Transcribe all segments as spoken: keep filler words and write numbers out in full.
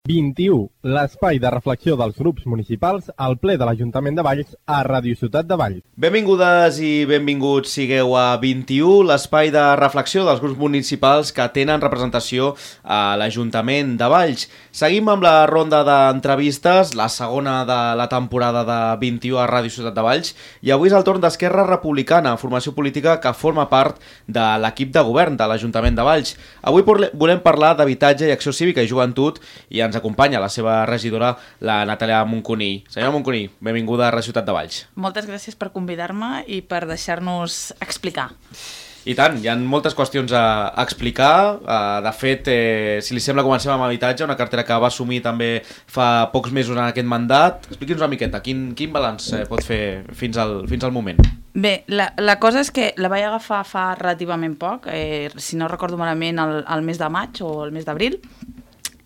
vint-i-u, l'espai de reflexió dels grups municipals al ple de l'Ajuntament de Valls a Ràdio Ciutat de Valls. Benvingudes i benvinguts sigueu a vint-i-u, l'espai de reflexió dels grups municipals que tenen representació a l'Ajuntament de Valls. Seguim amb la ronda d'entrevistes, la segona de la temporada de vint-i-u a Ràdio Ciutat de Valls, i avui és el torn d'Esquerra Republicana, formació política que forma part de l'equip de govern de l'Ajuntament de Valls. Avui volem parlar d'habitatge i acció cívica i joventut i ens acompanya la seva regidora, la Natàlia Moncuní. Senyora Moncuní, benvinguda a Ràdio Ciutat de Valls. Moltes gràcies per convidar-me i per deixar-nos explicar. I tant, hi ha moltes qüestions a explicar. De fet, eh, si li sembla, comencem amb habitatge, una cartera que va assumir també fa pocs mesos en aquest mandat. Expliqui'ns una miqueta, quin, quin balanç eh, pot fer fins al, fins al moment? Bé, la, la cosa és que la vaig agafar fa relativament poc, eh, si no recordo malament el, el mes de maig o el mes d'abril.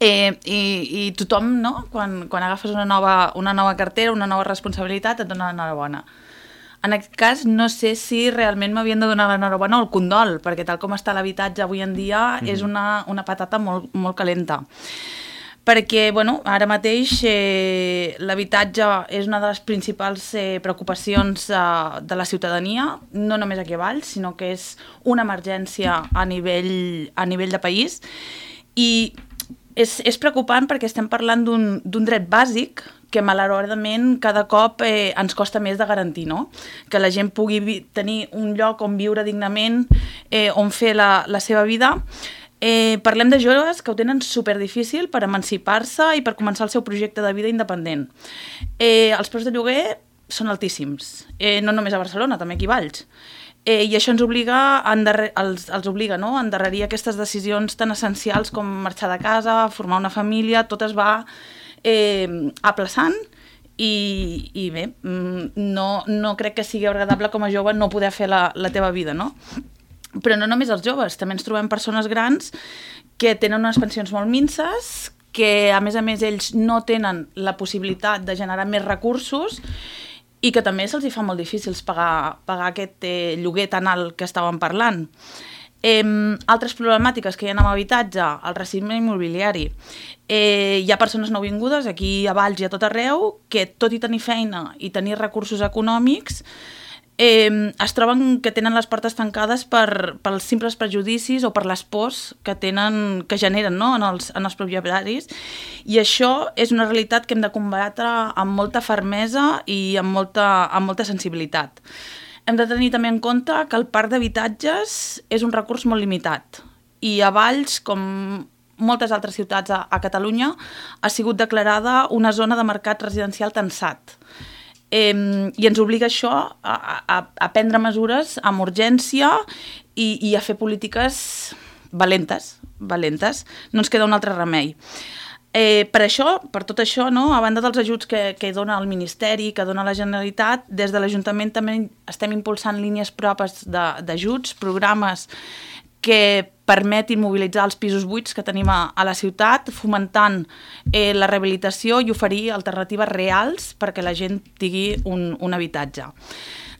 Eh, i, i tothom, no? Quan, quan agafes una nova, una nova cartera, una nova responsabilitat, et dona l'enhorabona. En aquest cas, no sé si realment m'havien de donar l'enhorabona o el condol, perquè tal com està l'habitatge avui en dia mm. és una, una patata molt, molt calenta. Perquè, bueno, ara mateix eh, l'habitatge és una de les principals eh, preocupacions eh, de la ciutadania, no només aquí a Valls, sinó que és una emergència a nivell, a nivell de país, i És, és preocupant perquè estem parlant d'un dret bàsic que malauradament cada cop eh, ens costa més de garantir, no? Que la gent pugui tenir un lloc on viure dignament, eh, on fer la, la seva vida. Eh, parlem de joves que ho tenen superdifícil per emancipar-se i per començar el seu projecte de vida independent. Eh, els preus de lloguer són altíssims, eh, no només a Barcelona, també aquí a Valls. Eh, I això ens obliga a endarrer, els, els obliga, no? a endarrerir aquestes decisions tan essencials com marxar de casa, formar una família, tot es va eh, aplaçant i, i bé, no, no crec que sigui agradable com a jove no poder fer la, la teva vida, no? Però no només els joves, també ens trobem persones grans que tenen unes pensions molt minses, que a més a més ells no tenen la possibilitat de generar més recursos i que també se'ls fa molt difícil pagar, pagar aquest eh, lloguer tan alt que estàvem parlant. Eh, altres problemàtiques que hi ha amb habitatge, el racisme immobiliari. Eh, hi ha persones nouvingudes aquí a Valls i a tot arreu que, tot i tenir feina i tenir recursos econòmics, eh, es troben que tenen les portes tancades per, pels simples prejudicis o per les pors que, tenen, que generen, no? en, els, en els propietaris, i això és una realitat que hem de combatre amb molta fermesa i amb molta, amb molta sensibilitat. Hem de tenir també en compte que el parc d'habitatges és un recurs molt limitat i a Valls, com moltes altres ciutats a, a Catalunya, ha sigut declarada una zona de mercat residencial tensat. Eh, i ens obliga això a, a, a prendre mesures amb urgència i, i a fer polítiques valentes, valentes. No ens queda un altre remei. Eh, per això, per tot això, no, a banda dels ajuts que, que dona el Ministeri, que dona la Generalitat, des de l'Ajuntament també estem impulsant línies propes d'ajuts, programes que permetin mobilitzar els pisos buits que tenim a, a la ciutat, fomentant eh, la rehabilitació i oferir alternatives reals perquè la gent tingui un, un habitatge.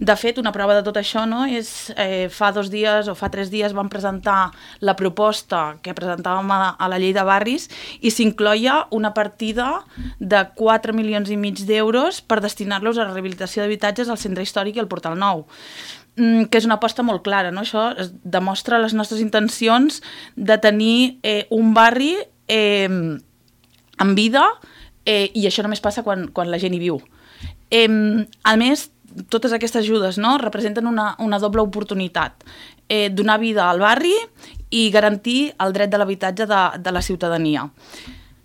De fet, una prova de tot això, no, és eh, fa dos dies o fa tres dies vam presentar la proposta que presentàvem a, a la llei de barris i s'incloia una partida de quatre milions i mig d'euros per destinar-los a la rehabilitació d'habitatges al Centre Històric i al Portal Nou, que és una aposta molt clara, no? Això demostra les nostres intencions de tenir eh, un barri eh, en vida eh, i això només passa quan, quan la gent hi viu. Eh, a més, totes aquestes ajudes, no, representen una, una doble oportunitat, eh, donar vida al barri i garantir el dret de l'habitatge de, de la ciutadania.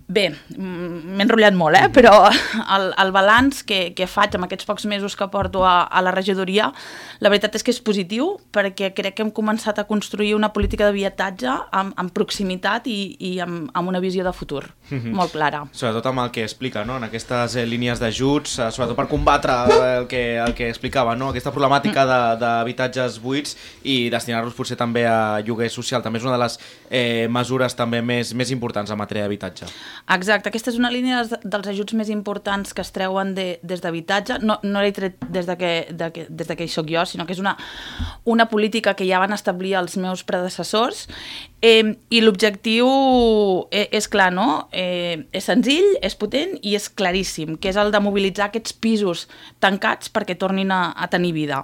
Bé, m'he enrotllat molt, eh? Però el, el balanç que, que faig amb aquests pocs mesos que porto a, a la regidoria, la veritat és que és positiu, perquè crec que hem començat a construir una política d'habitatge amb, amb proximitat i, i amb, amb una visió de futur mm-hmm. molt clara. Sobretot amb el que explica, no? En aquestes eh, línies d'ajuts, eh, sobretot per combatre el que, el que explicava, no? Aquesta problemàtica mm. d'habitatges buits i destinar-los potser també a lloguer social. També és una de les eh, mesures també més, més importants en matèria d'habitatge. Exacte, aquesta és una línia dels ajuts més importants que es treuen de, des d'habitatge. No, no l'he tret des de que, de que, des de que hi soc jo, sinó que és una, una política que ja van establir els meus predecessors Eh, I l'objectiu és, és clar, no? Eh, és senzill, és potent i és claríssim, que és el de mobilitzar aquests pisos tancats perquè tornin a, a tenir vida.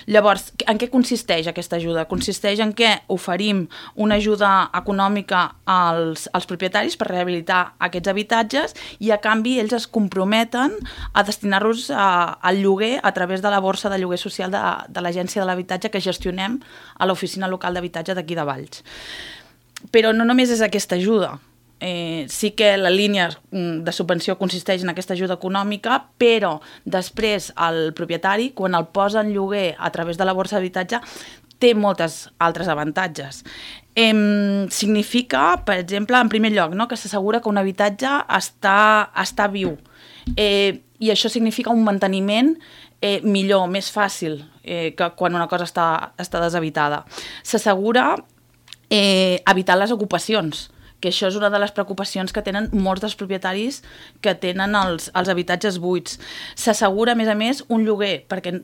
Llavors, en què consisteix aquesta ajuda? Consisteix en què oferim una ajuda econòmica als, als propietaris per rehabilitar aquests habitatges i a canvi ells es comprometen a destinar-los al lloguer a través de la borsa de lloguer social de, de l'Agència de l'Habitatge que gestionem a l'Oficina Local d'Habitatge d'aquí de Valls. Però no només és aquesta ajuda. Eh, sí que la línia de subvenció consisteix en aquesta ajuda econòmica, però després el propietari, quan el posa en lloguer a través de la borsa d'habitatge, té moltes altres avantatges. Eh, significa, per exemple, en primer lloc, no, que s'assegura que un habitatge està, està viu. Eh, I això significa un manteniment eh, millor, més fàcil eh, que quan una cosa està, està deshabitada. S'assegura eh, evitar les ocupacions, que això és una de les preocupacions que tenen molts dels propietaris que tenen els, els habitatges buits. S'assegura, a més a més, un lloguer, perquè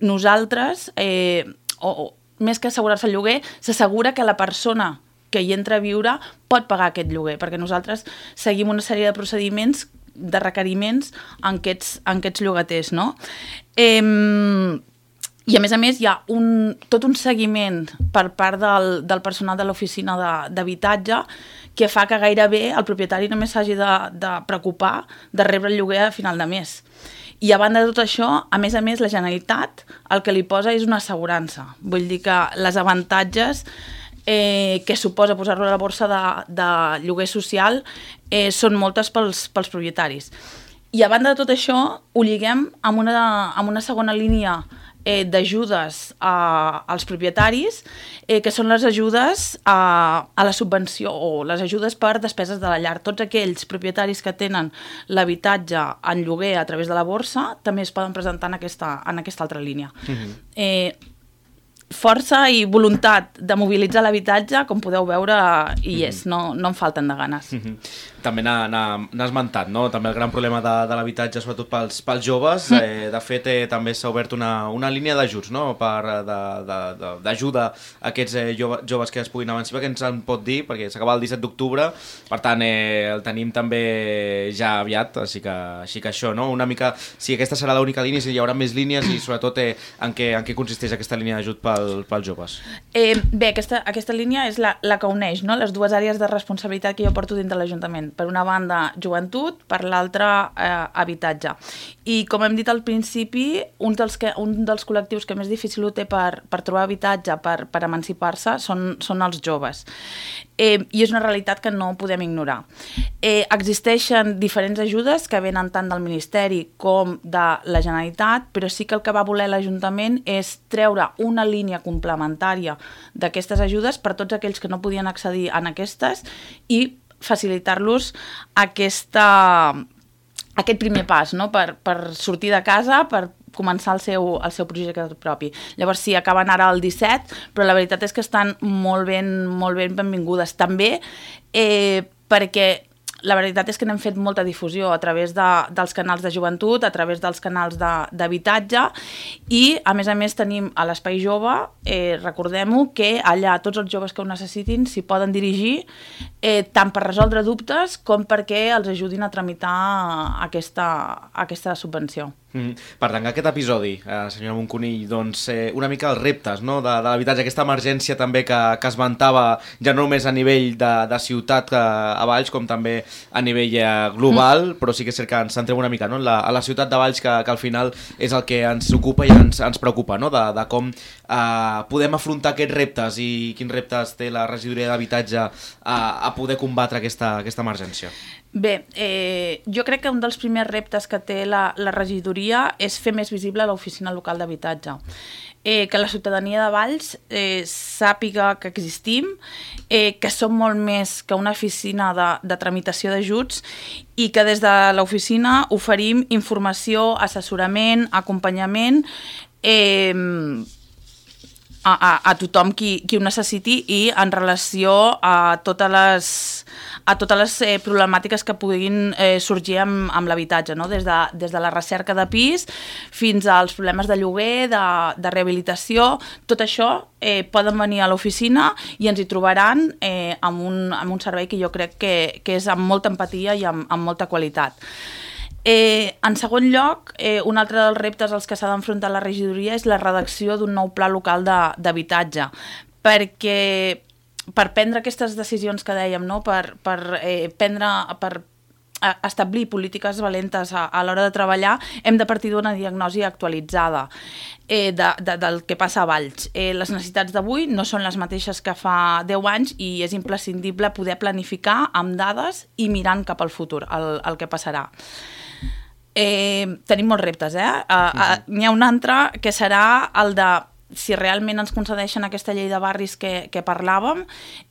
nosaltres, eh, o, o, més que assegurar-se el lloguer, s'assegura que la persona que hi entra a viure pot pagar aquest lloguer, perquè nosaltres seguim una sèrie de procediments, de requeriments en aquests, en aquests llogaters, no? Eh, I, a més a més, hi ha un, tot un seguiment per part del, del personal de l'oficina d'habitatge que fa que gairebé el propietari només s'hagi de, de preocupar de rebre el lloguer a final de mes. I a banda de tot això, a més a més, la Generalitat el que li posa és una assegurança. Vull dir que les avantatges eh, que suposa posar-lo a la borsa de, de lloguer social eh, són moltes pels, pels propietaris. I a banda de tot això, ho lliguem amb una, amb una segona línia Eh, d'ajudes als propietaris, eh, que són les ajudes a, a la subvenció o les ajudes per despeses de la llar. Tots aquells propietaris que tenen l'habitatge en lloguer a través de la borsa també es poden presentar en aquesta, en aquesta altra línia. Mm-hmm. eh, força i voluntat de mobilitzar l'habitatge, com podeu veure, hi és, no, no en falten de ganes. Mm-hmm. També n'ha esmentat, no? També el gran problema de, de l'habitatge, sobretot pels, pels joves. Eh, de fet, eh, també s'ha obert una, una línia d'ajuts, no? D'ajuda a aquests eh, joves, joves que es puguin emancipar, que ens en pot dir, perquè s'acaba el disset d'octubre, per tant, eh, el tenim també ja aviat, així que, així que això, no? Una mica, si aquesta serà l'única línia, si hi haurà més línies i sobretot eh, en, què, en què consisteix aquesta línia d'ajut pel, pels joves. Eh, bé, aquesta, aquesta línia és la, la que uneix, no? Les dues àrees de responsabilitat que jo porto dins de l'Ajuntament. Per una banda, joventut, per l'altra, eh, habitatge. I com hem dit al principi, un dels, que, un dels col·lectius que més difícil ho té per, per trobar habitatge, per, per emancipar-se, són, són els joves. Eh, I és una realitat que no podem ignorar. Eh, existeixen diferents ajudes que venen tant del Ministeri com de la Generalitat, però sí que el que va voler l'Ajuntament és treure una línia complementària d'aquestes ajudes per tots aquells que no podien accedir a aquestes i facilitar-los aquesta, aquest primer pas, no? per, per sortir de casa, per començar el seu, el seu projecte propi. Llavors sí, acaben ara el disset, però la veritat és que estan molt ben, molt ben benvingudes. També eh, perquè la veritat és que n'hem fet molta difusió a través de, dels canals de joventut, a través dels canals d'habitatge i, a més a més, tenim a l'Espai Jove, eh, recordem-ho, que allà tots els joves que ho necessitin s'hi poden dirigir eh, tant per resoldre dubtes com perquè els ajudin a tramitar aquesta, aquesta subvenció. Mm. Per tant, aquest episodi, eh, senyora Moncunill, doncs, eh, una mica els reptes, no? de, de l'habitatge, aquesta emergència també que, que es vantava ja no només a nivell de, de ciutat eh, a Valls, com també a nivell eh, global, mm. però sí que és cert que ens centrem una mica, no? la, a la ciutat de Valls, que, que al final és el que ens ocupa i ens, ens preocupa, no? de, de com eh, podem afrontar aquests reptes i quins reptes té la regidoria d'habitatge a, a poder combatre aquesta, aquesta emergència. Bé, eh, jo crec que un dels primers reptes que té la, la regidoria és fer més visible l'oficina local d'habitatge. Eh, que la ciutadania de Valls eh, sàpiga que existim, eh, que som molt més que una oficina de, de tramitació d'ajuts i que des de l'oficina oferim informació, assessorament, acompanyament, eh, a, a, a tothom qui, qui ho necessiti i en relació a totes les, a totes les eh, problemàtiques que puguin eh, sorgir amb, amb l'habitatge, no? Des de, des de la recerca de pis fins als problemes de lloguer, de, de rehabilitació, tot això eh, poden venir a l'oficina i ens hi trobaran eh, amb, un, amb un servei que jo crec que, que és amb molta empatia i amb, amb molta qualitat. Eh, en segon lloc, eh, un altre dels reptes als que s'ha d'enfrontar la regidoria és la redacció d'un nou pla local d'habitatge, perquè per prendre aquestes decisions que dèiem, no? per, per, eh, prendre, per establir polítiques valentes a, a l'hora de treballar, hem de partir d'una diagnosi actualitzada eh, de, de, del que passa a Valls. Eh, les necessitats d'avui no són les mateixes que fa deu anys i és imprescindible poder planificar amb dades i mirant cap al futur, el, el que passarà. Eh, tenim molts reptes, eh? Uh, uh, n'hi ha un altre que serà el de, si realment ens concedeixen aquesta llei de barris que, que parlàvem,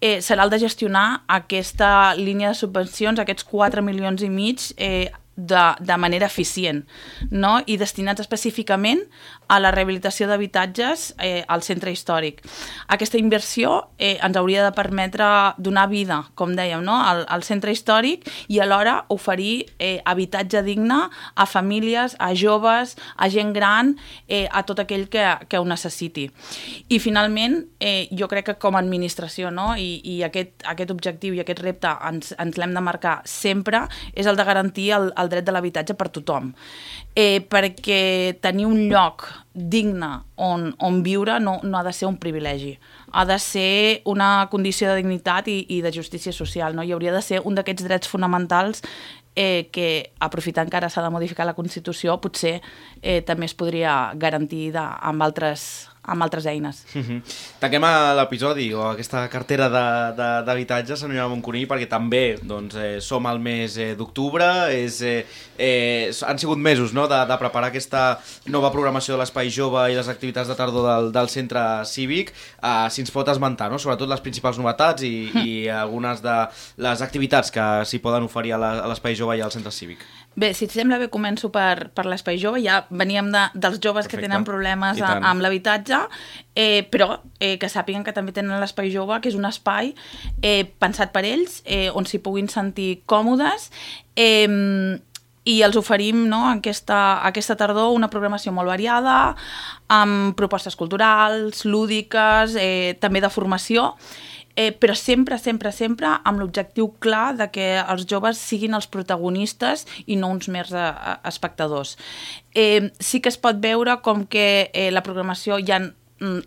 eh, serà el de gestionar aquesta línia de subvencions, aquests quatre milions i mig eh, de, de manera eficient, no? I destinats específicament a la rehabilitació d'habitatges eh, al centre històric. Aquesta inversió eh, ens hauria de permetre donar vida, com dèiem, no? al, al centre històric i alhora oferir eh, habitatge digne a famílies, a joves, a gent gran, eh, a tot aquell que, que ho necessiti. I finalment, eh, jo crec que com a administració, no? I, i aquest, aquest objectiu i aquest repte ens, ens l'hem de marcar sempre, és el de garantir el, el dret de l'habitatge per tothom. Eh, perquè tenir un lloc digne on, on viure no, no ha de ser un privilegi, ha de ser una condició de dignitat i, i de justícia social, no? I hauria de ser un d'aquests drets fonamentals eh, que, aprofitant que ara s'ha de modificar la Constitució, potser eh, també es podria garantir de, amb altres amb altres eines. Mm-hmm. Tanquem l'episodi o aquesta cartera d'habitatge, senyora Moncuní, perquè també doncs, eh, som al mes eh, d'octubre, és, eh, eh, han sigut mesos, no?, de, de preparar aquesta nova programació de l'Espai Jove i les activitats de tardor del, del centre cívic. Eh, si ens pot esmentar, no?, sobretot les principals novetats i, i algunes de les activitats que s'hi poden oferir a l'Espai Jove i al centre cívic. Bé, si et sembla bé, començo per, per l'Espai Jove. Ja veníem de, dels joves Perfecte. Que tenen problemes a, amb l'habitatge, eh, però eh, que sàpiguen que també tenen l'Espai Jove, que és un espai eh, pensat per ells, eh, on s'hi puguin sentir còmodes, eh, i els oferim, no, aquesta, aquesta tardor una programació molt variada, amb propostes culturals, lúdiques, eh, també de formació, Eh, però sempre, sempre, sempre amb l'objectiu clar de que els joves siguin els protagonistes i no uns mers eh, espectadors. Eh, sí que es pot veure com que eh, la programació hi ha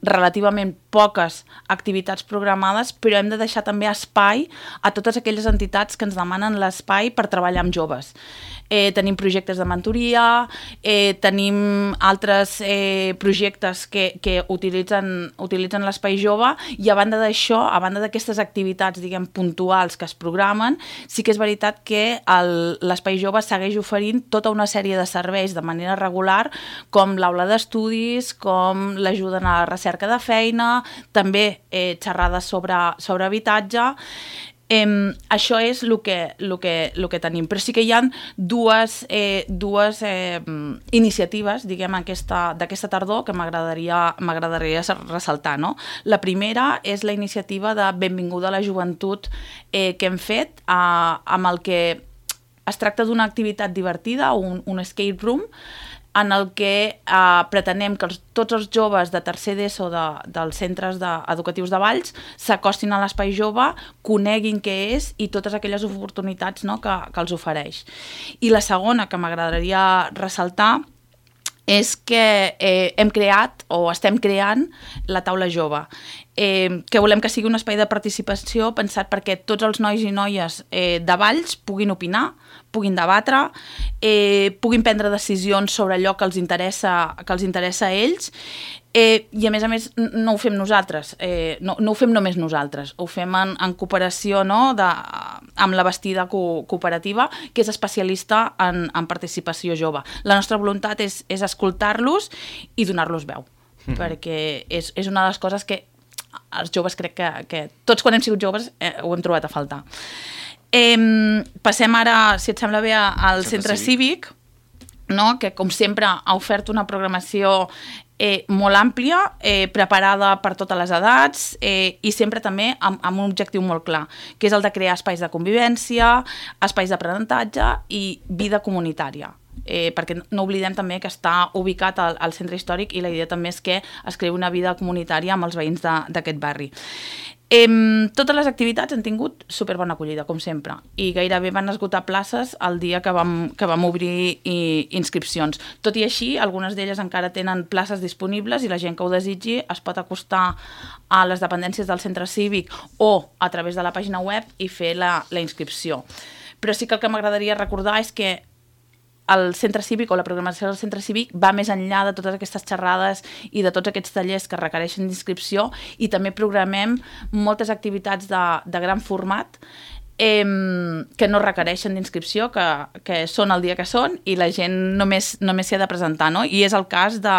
relativament poques activitats programades, però hem de deixar també espai a totes aquelles entitats que ens demanen l'espai per treballar amb joves. Eh, tenim projectes de mentoria, eh, tenim altres eh, projectes que, que utilitzen, utilitzen l'Espai Jove, i a banda d'això, a banda d'aquestes activitats, diguem, puntuals que es programen, sí que és veritat que l'Espai Jove segueix oferint tota una sèrie de serveis de manera regular, com l'aula d'estudis, com l'ajuda a la recerca de feina, també eh, xerrades sobre, sobre habitatge. Eh, això és el que, el que, el que tenim, però sí que hi ha dues, eh, dues eh, iniciatives, diguem, d'aquesta tardor que m'agradaria m'agradaria ressaltar, no? La primera és la iniciativa de Benvinguda a la Joventut eh, que hem fet, eh, amb el que es tracta d'una activitat divertida, un, un escape room, en el que eh, pretenem que els, tots els joves de tercer d'ESO de, dels centres de, educatius de Valls s'acostin a l'Espai Jove, coneguin què és i totes aquelles oportunitats, no, que, que els ofereix. I la segona que m'agradaria ressaltar és que eh, hem creat o estem creant la taula jove, eh, que volem que sigui un espai de participació pensat perquè tots els nois i noies eh, de Valls puguin opinar, puguin debatre, eh, puguin prendre decisions sobre allò que els interessa, que els interessa a ells, eh, i a més a més no ho fem nosaltres, eh, no, no ho fem només nosaltres, ho fem en, en cooperació, no, de, amb la Bastida co Cooperativa, que és especialista en, en participació jove. La nostra voluntat és, és escoltar-los i donar-los veu, mm-hmm. perquè és, és una de les coses que els joves crec que, que tots quan hem sigut joves eh, ho hem trobat a faltar. Eh, passem ara, si et sembla bé, al centre cívic, no? Que com sempre ha ofert una programació eh, molt àmplia, eh, preparada per totes les edats eh, i sempre també amb, amb un objectiu molt clar, que és el de crear espais de convivència, espais d'aprenentatge i vida comunitària. Eh, perquè no oblidem també que està ubicat al, al centre històric i la idea també és que es creï una vida comunitària amb els veïns d'aquest barri. Eh, totes les activitats han tingut superbona acollida, com sempre, i gairebé van esgotar places el dia que vam, que vam obrir i, inscripcions. Tot i així, algunes d'elles encara tenen places disponibles i la gent que ho desitgi es pot acostar a les dependències del centre cívic o a través de la pàgina web i fer la, la inscripció. Però sí que el que m'agradaria recordar és que el centre cívic o la programació del centre cívic va més enllà de totes aquestes xerrades i de tots aquests tallers que requereixen d'inscripció i també programem moltes activitats de, de gran format eh, que no requereixen d'inscripció, que, que són el dia que són i la gent només només s'hi ha de presentar, no? I és el cas de,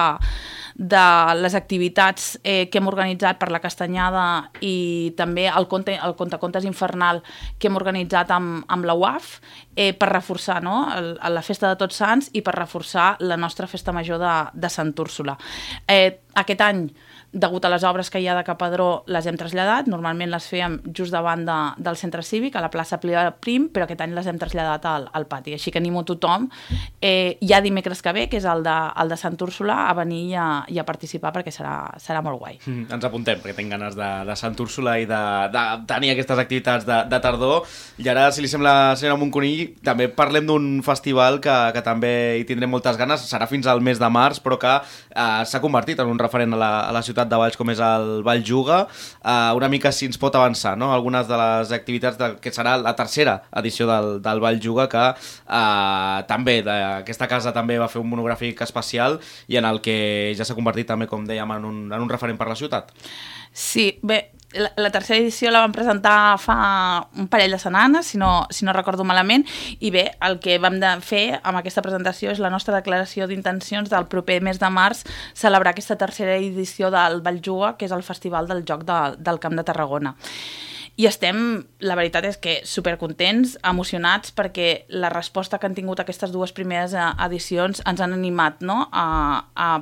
de les activitats eh, que hem organitzat per la Castanyada i també el conte, el contacontes infernal que hem organitzat amb, amb la U A F eh, per reforçar, no? el, la festa de Tots Sants i per reforçar la nostra festa major de, de Sant Úrsula. Eh, aquest any, degut a les obres que hi ha de Capadró, les hem traslladat. Normalment les fèiem just davant de, del centre cívic, a la plaça Prim, però aquest any les hem traslladat al, al pati. Així que animo tothom, eh, ja dimecres que ve, que és el de, el de Sant Úrsula, a venir i a, i a participar perquè serà, serà molt guai. Mm, ens apuntem, perquè tinc ganes de, de Sant Úrsula i de, de tenir aquestes activitats de, de tardor. I ara, si li sembla, senyora Monconill, també parlem d'un festival que, que també hi tindrem moltes ganes. Serà fins al mes de març, però que eh, s'ha convertit en un referent a la, a la ciutat de Valls, com és el Valljuga. Uh, una mica si ens pot avançar, no? Algunes de les activitats de, que serà la tercera edició del, del Valljuga, que uh, també de, aquesta casa també va fer un monogràfic especial i en el que ja s'ha convertit també, com dèiem, en un, en un referent per la ciutat. Sí, bé, la, la tercera edició la vam presentar fa un parell de setmanes, si no, si no recordo malament, i bé, el que vam de fer amb aquesta presentació és la nostra declaració d'intencions del proper mes de març celebrar aquesta tercera edició del Valljuga, que és el Festival del Joc de, del Camp de Tarragona. I estem, la veritat és que supercontents, emocionats, perquè la resposta que han tingut aquestes dues primeres edicions ens han animat, no?, a, a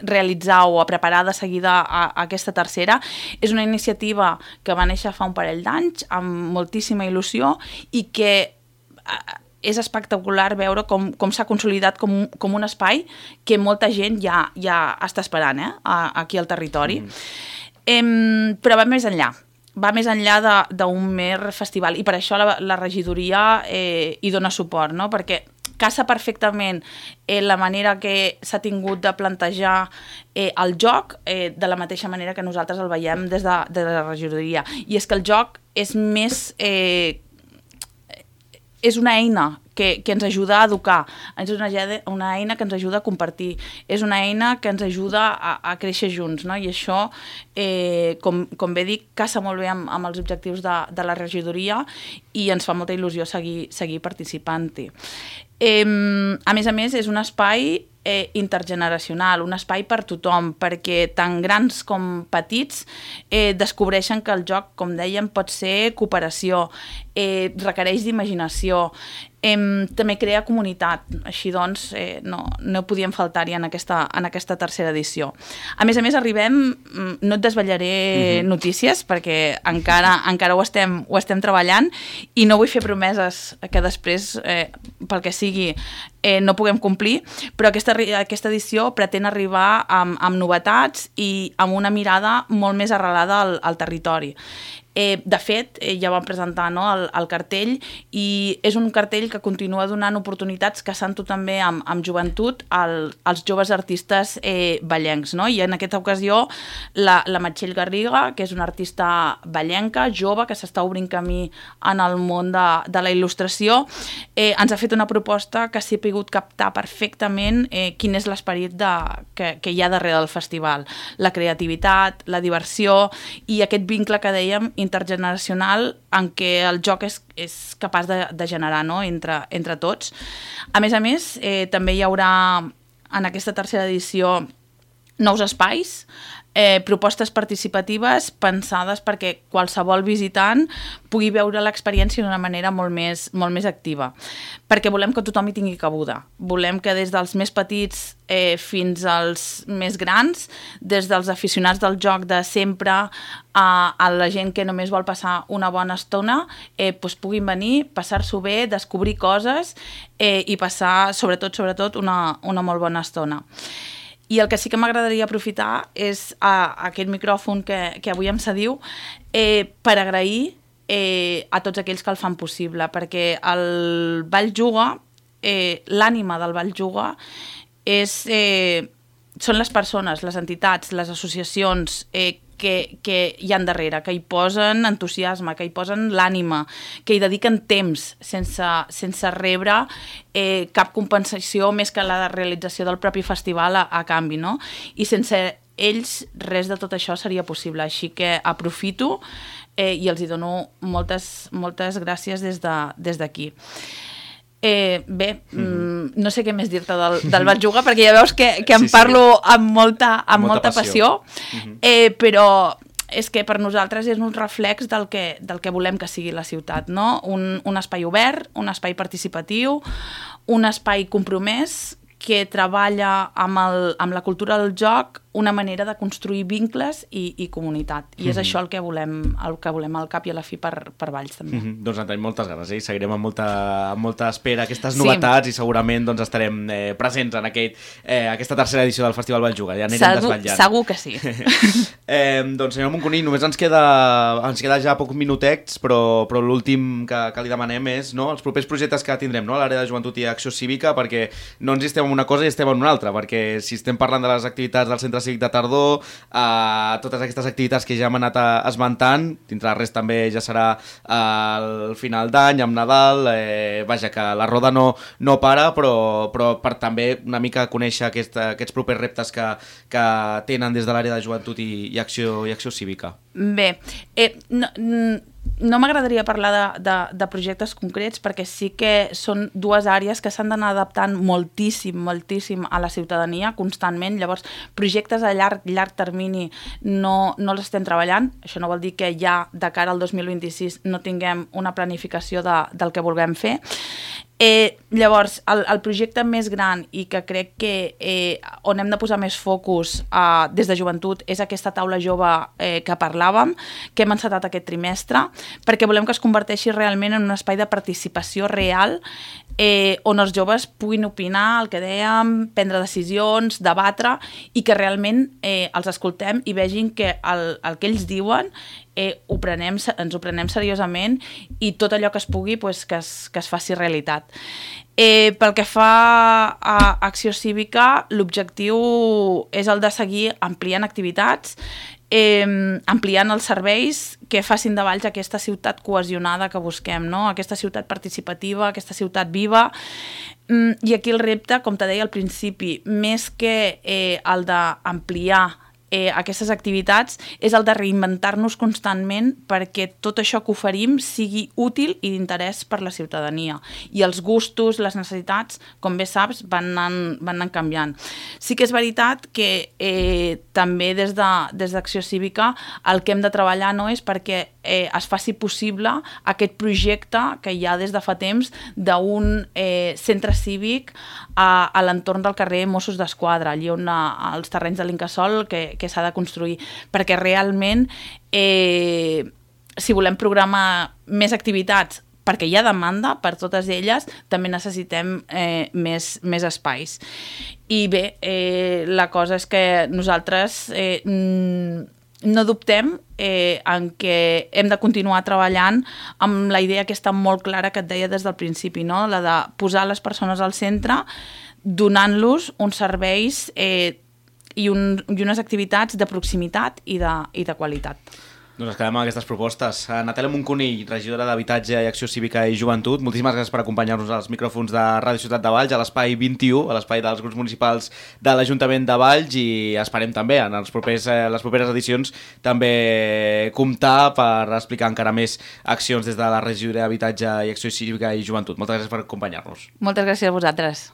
realitzar o a preparar de seguida a, a aquesta tercera. És una iniciativa que va néixer fa un parell d'anys amb moltíssima il·lusió i que és espectacular veure com, com s'ha consolidat com, com un espai que molta gent ja, ja està esperant, eh, aquí al territori. Mm. Em, però va més enllà. va més enllà d'un mer festival i per això la, la regidoria eh, hi dona suport, no? Perquè casa perfectament eh, la manera que s'ha tingut de plantejar eh, el joc eh, de la mateixa manera que nosaltres el veiem des de, de la regidoria. I és que el joc és més... Eh, és una eina que, que ens ajuda a educar, és una, una eina que ens ajuda a compartir, és una eina que ens ajuda a, a créixer junts, no? I això, eh, com, com bé dic, casa molt bé amb, amb els objectius de, de la regidoria i ens fa molta il·lusió seguir, seguir participant-hi. Eh, a més a més, és un espai eh, intergeneracional, un espai per tothom, perquè tant grans com petits eh, descobreixen que el joc, com dèiem, pot ser cooperació, eh, requereix d'imaginació, eh, també crea comunitat. Així doncs, eh, no, no podíem faltar-hi en, aquesta, en aquesta tercera edició. A més a més, arribem, no et desvetllaré uh-huh. notícies, perquè encara, encara ho, estem, ho estem treballant i no vull fer promeses que després, eh, pel que sigui, eh, no puguem complir, però aquesta, aquesta edició pretén arribar amb, amb novetats i amb una mirada molt més arrelada al, al territori. Eh, de fet, eh, ja vam presentar, no, el, el cartell i és un cartell que continua donant oportunitats, casant-ho també amb, amb joventut al, als joves artistes eh, vallencs, no? I en aquesta ocasió la, la Meritxell Garriga, que és una artista vallenca, jove, que s'està obrint camí en el món de, de la il·lustració, eh, ens ha fet una proposta que s'hi ha pogut captar perfectament eh, quin és l'esperit que, que hi ha darrere del festival, la creativitat, la diversió i aquest vincle que dèiem intergeneracional en què el joc és, és capaç de, de generar, no? entre, entre tots. A més a més, eh, també hi haurà en aquesta tercera edició nous espais, eh, propostes participatives pensades perquè qualsevol visitant pugui veure l'experiència d'una manera molt més, molt més activa. Perquè volem que tothom hi tingui cabuda. Volem que des dels més petits eh, fins als més grans, des dels aficionats del joc de sempre a, a la gent que només vol passar una bona estona, eh, doncs puguin venir, passar-s'ho bé, descobrir coses eh, i passar, sobretot, sobretot, una, una molt bona estona. I el que sí que m'agradaria aprofitar és a, a aquest micròfon que, que avui em cediu eh, per agrair eh, a tots aquells que el fan possible, perquè el Ball Juga, eh, l'ànima del Ball Juga, és, eh, són les persones, les entitats, les associacions eh, que, que hi ha darrere, que hi posen entusiasme, que hi posen l'ànima, que hi dediquen temps sense, sense rebre eh, cap compensació més que la realització del propi festival a, a canvi, no? I sense ells res de tot això seria possible, així que aprofito eh, i els hi dono moltes, moltes gràcies des de, des d'aquí. Eh, bé, mm, no sé què més dir-te del, del Ball Juga, perquè ja veus que, que em sí, sí. parlo amb molta, amb molta, molta passió, passió. Eh, però és que per nosaltres és un reflex del que, del que volem que sigui la ciutat, no? Un, un espai obert, un espai participatiu, un espai compromès que treballa amb, el, amb la cultura del joc una manera de construir vincles i, i comunitat. I mm-hmm. és això el que volem el que volem al cap i a la fi per, per Valls, també. Mm-hmm. Doncs en tenim moltes ganes, eh? Seguirem amb molta, amb molta espera aquestes novetats sí. i segurament doncs, estarem eh, presents en aquest, eh, aquesta tercera edició del Festival Ball Juga. Ja anirem segur, desvetllant. Segur que sí. eh, doncs senyor Moncuní, només ens queda, ens queda ja pocs minutets, però, però l'últim que, que li demanem és no, els propers projectes que tindrem no, a l'àrea de joventut i acció cívica, perquè no ens estem en una cosa i estem en una altra, perquè si estem parlant de les activitats del Centre Cívic de Tardor, eh, totes aquestes activitats que ja hem anat esmentant, dintre res també ja serà eh, el final d'any, amb Nadal, eh, vaja, que la roda no, no para, però, però per també una mica conèixer aquest, aquests propers reptes que, que tenen des de l'àrea de joventut i, i, acció, i acció cívica. Bé, eh, no, no m'agradaria parlar de, de, de projectes concrets perquè sí que són dues àrees que s'han d'anar adaptant moltíssim, moltíssim a la ciutadania constantment. Llavors, projectes a llarg, llarg termini no, no els estem treballant. Això no vol dir que ja de cara al dos mil vint-i-sis no tinguem una planificació de, del que vulguem fer. Eh, llavors, el, el projecte més gran i que crec que eh, on hem de posar més focus eh, des de joventut és aquesta taula jove eh, que parlàvem, que hem encetat aquest trimestre, perquè volem que es converteixi realment en un espai de participació real eh, on els joves puguin opinar, el que dèiem, prendre decisions, debatre i que realment eh, els escoltem i vegin que el, el que ells diuen eh, ho prenem, ens ho prenem seriosament i tot allò que es pugui pues, que, es, que es faci realitat. Eh, pel que fa a Acció Cívica, l'objectiu és el de seguir ampliant activitats, eh, ampliant els serveis que facin de Valls aquesta ciutat cohesionada que busquem, no? Aquesta ciutat participativa, aquesta ciutat viva. Mm, I aquí el repte, com te deia al principi, més que eh, el d'ampliar Eh, aquestes activitats és el de reinventar-nos constantment perquè tot això que oferim sigui útil i d'interès per la ciutadania. I els gustos, les necessitats, com bé saps, van anant, van anant canviant. Sí que és veritat que eh, també des de, des d'Acció Cívica el que hem de treballar no és perquè eh, es faci possible aquest projecte que hi ha des de fa temps d'un eh, centre cívic a, a l'entorn del carrer Mossos d'Esquadra, allí on a, als terrenys de l'Incasòl que que s'ha de construir, perquè realment eh, si volem programar més activitats perquè hi ha demanda per totes elles, també necessitem eh, més, més espais. I bé, eh, la cosa és que nosaltres eh, no dubtem eh, en que hem de continuar treballant amb la idea que està molt clara que et deia des del principi, no? La de posar les persones al centre, donant-los uns serveis eh, i, un, i unes activitats de proximitat i de, i de qualitat. Doncs ens quedem amb aquestes propostes. Natàlia Moncunill, regidora d'Habitatge i Acció Cívica i Joventut, moltíssimes gràcies per acompanyar-nos als micròfons de Ràdio Ciutat de Valls, a l'espai vint-i-u, a l'espai dels grups municipals de l'Ajuntament de Valls, i esperem també en els propers, eh, les properes edicions també comptar per explicar encara més accions des de la regidoria d'Habitatge i Acció Cívica i Joventut. Moltes gràcies per acompanyar-nos. Moltes gràcies a vosaltres.